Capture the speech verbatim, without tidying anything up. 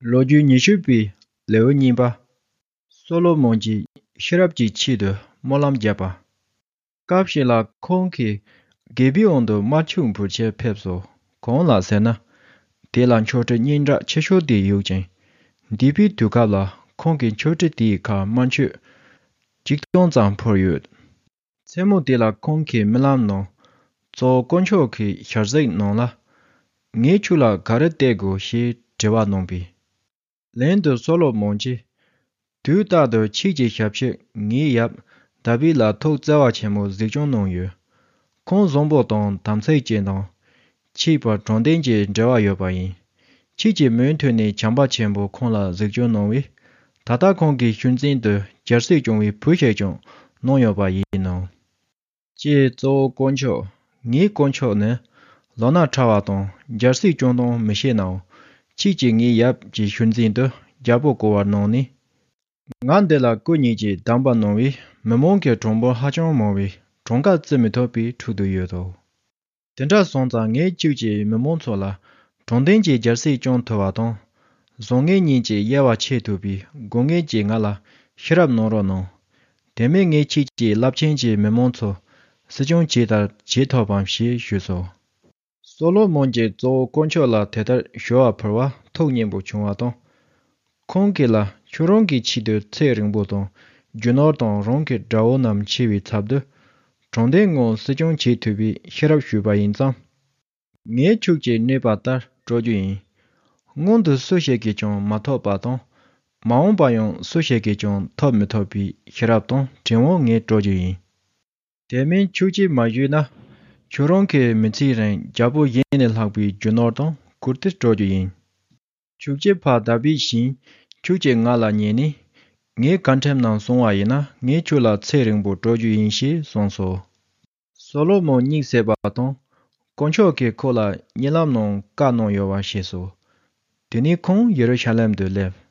ལོ་རྒྱུས་ཉི་ཤུ་པའི་ལེའུ་གཉིས་པ། སོ་ལོ་མོན་གྱིས་ཤེས་རབ་ཀྱི་ཆེད་དུ་སྨོན་ལམ་བརྒྱབ་པ། སྐབས་ཤིག་ལ་ཁོང་གིས་གེ་བི་འོན་དུ་དམར་ཕྱུག་འབུལ་ཆེད་ཕེབས་སོ། གང་ལ་ཟེར་ན། དེ་ལ་མཆོད་ཁྲི་སྙན་གྲགས་ཆེ་ཤོས་དེ་ཡོད་ཅིང་། འདས་པའི་དུས་སྐབས་ལ་ཁོང་གི་མཆོད་ཁྲི་དེའི་ཁར་དམར་མཆོད་གཅིག་སྟོང་ཙམ་ཕུལ་ཡོད། མཚན་མོ་དེ་ལ་ཁོང་གིས་རྨི་ལམ་ནང་གཙོ་བོ་དཀོན་མཆོག་གི་ཞལ་གཟིགས་གནང་ལ། ངས་ཁྱོད་ལ་ག་རེ་སྟེར་དགོས་ཞེས་དྲི་བ་གནང་པས། ལན་དུ་སོ་ལོ་མོན་གྱིས། དུས་རྟག་ཏུ་ཁྱེད་ཀྱི་ཞབས་ཕྱི་ངའི་ཡབ་དཱ་བིད་ལ་ཐུགས་བརྩེ་བ་ཆེན་པོས་གཟིགས་སྐྱོང་གནང་ཡོད། ཁོང་བཟང་པོ་དང་དམ་ཚིག་ཅན་དང་། ཁྱད་པར་དྲང་བདེན་གྱི་འབྲེལ་བ་ཡོད་པ་ཡིན། ཁྱེད་ཀྱིས་མུ་མཐུད་ནས་བྱམས་པ་ཆེན་པོས་ཁོང་ལ་གཟིགས་སྐྱོང་གནང་བས། ད་ལྟ་ཁོང་གི་ཤུལ་འཛིན་དུ་རྒྱལ་སྲིད་སྐྱོང་བའི་བུ་ཞིག་ཀྱང་གནང་ཡོད་པ་ཡིན་ནོ། ཀྱེ་གཙོ་བོ་དཀོན་མཆོག་ངའི་དཀོན་མཆོག་ནི་ལོ་ན་ཕྲ་བ་དང་རྒྱལ་སྲིད་སྐྱོང་སྟངས་མི་ཤེས་ནའང་། ཁྱེད་ཀྱིས་ངའི་ཡབ་ཀྱི་ཤུལ་འཛིན་དུ་རྒྱལ་པོ་བསྐོ་བར་གནང་ནས། ང་འདི་ལ་སྐུ་ཉིད་ཀྱིས་གདམས་པ་གནང་བས་མི་མང་གི་གྲངས་འབོར་ཧ་ཅང་མང་བས་གྲངས་ཀ་བརྩི་མི་ཐུབ་པའི་ཁྲོད་དུ་ཡོད་དོ། དེ་འདྲ་སོང་ཙང་ངས་ཁྱེད་ཀྱིས་མི་མང་ཚོ་ལ་དྲང་བདེན་གྱི་རྒྱལ་སྲིད་སྐྱོང་ཐུབ་པ་དང་། བཟང་ངན་གཉིས་ཀྱི་དབྱེ་བ་ཕྱེ་ཐུབ་པའི་དགོས་ངེས་ཀྱིས་ང་ལ་ཤེས་རབ་གནང་རོགས་གནང་། དེ་མིན་ངས་ཁྱེད་ཀྱི་རླབས་ཆེན་གྱི་མི་མང་ཚོ་སྲིད་སྐྱོང་བྱེད་ལྟར་བྱེད་ཐུབ་བམ་ཞེས་ཞུས་སོ། སོ་ལོ་མོན་གྱིས་གཙོ་བོ་དཀོན་མཆོག་ལ་དེ་ལྟར་ཞུ་བ་ཕུལ་བ་ཐུགས་མཉེས་པོ་བྱུང་བ་དང་། ཁོང་གིས་ལ་ཁྱོད་རང་གི་ཆེད་དུ་ཚེ་རིང་པོ་དང་རྒྱུ་ནོར་དང་རང་གི་དགྲ་བོ་རྣམས་འཆི་བའི་ཚབ་ཏུ། དྲང་བདེན་ངང་སྲིད་སྐྱོང་བྱེད་ཐུབ་པའི་ཤེས་རབ་ཞུས་པ་ཡིན་ཙང་། ངས་ཁྱོད་ཀྱིས་སྨྲས་པ་ལྟར་སྤྲོད་རྒྱུ་ཡིན། སྔོན་དུ་སུ་ཞིག་གིས་ཀྱང་མ་ཐོབ་པ་དང་། མ་འོངས་པ་ཡང་སུ་ཞིག་གིས་ཀྱང་ཐོབ་མི་ཐུབ་པའི་ཤེས་རབ་དང་དྲིན་དབང་ངས་སྤྲོད་རྒྱུ་ཡིན། དེ་མིན་ཁྱོད་ཀྱིས་མ་ཞུས་ན། ཁྱོད་རང་གི་མི་ཚེའི་རིང་རྒྱལ་པོ་གཞན་ལས་ལྷག་པའི་རྒྱུ་ནོར་དང་བཀུར་སྟི་སྤྲོད་རྒྱུ་ཡིན། ཁྱོད་ཀྱི་ཕ་དཱ་བིད་བཞིན་ཁྱོད་ཀྱིས་ང་ལ་ཉན་ནས། ངའི་བཀའ་ཁྲིམས་རྣམས་སྲུང་བ་ཡིན་ན་ངས་ཁྱོད་ལ་ཚེ་རིང་པོ་སྤྲོད་རྒྱུ་ཡིན་ཞེས་གསུངས་སོ། སོ་ལོ་མོན་གཉིད་སད་པ་དང་། དཀོན་མཆོག་གིས་ཁོ་ལ་རྨི་ལམ་ནང་བཀའ་གནང་ཡོད་པ་ཤེས་སོ། དེ་ནས་ཁོང་ཡེ་རུ་ཤ་ལེམ་དུ་སླེབས།